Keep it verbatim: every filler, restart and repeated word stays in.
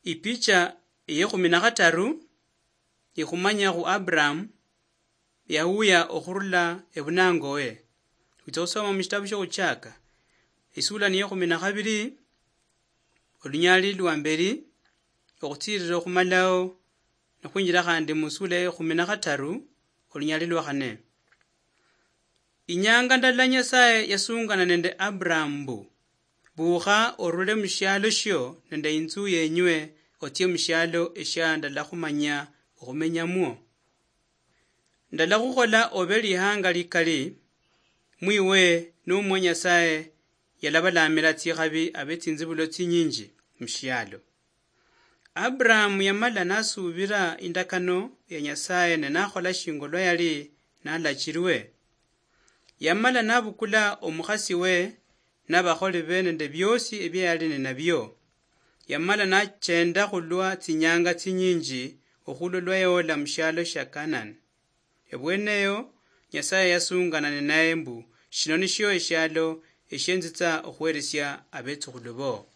Ipicha eyekhumi na khataru ikhumanya khu Abraham yawuya okhurula ebunangowe. Khwitsa khusoma mushitabu shiokhuchaka, isula niyekhumi na khabiri, olunyali lwa mberi, okhutsirira okhumalaho, nokhwinjira khandi musula yekhumi na khataru, olunyali lwa khane. Inyanga ndala Nyasaye yasungana nende Abraham mbu, "Bukha orule mushialo shio nende inzu yenywe, otsie mushialo eshia ndalakhumanya okhumenyamwo. Ndalakhukhola obe lihanga likali, mwiwe nomwa Nyasaye yalabalamira tsikhabi abe tsinzibulo tsinyinji mushialo." Abraham yamala nasubira indakano ya Nyasaye ne nakhola shinga olwa yali nalachirwe. Yamala nabukula omukhasi we nabakholi be nende biosi ebia yali ninabio. Yamala nachenda khulwa tsinyanga tsinyinji okhulwa lwa yaola mushialo shia Canaan. Ebweneyo, Nyasaye yasungana ninaye mbu, "Shino nishio eshialo eshienzitsa okhweresia abetsukhulu bo."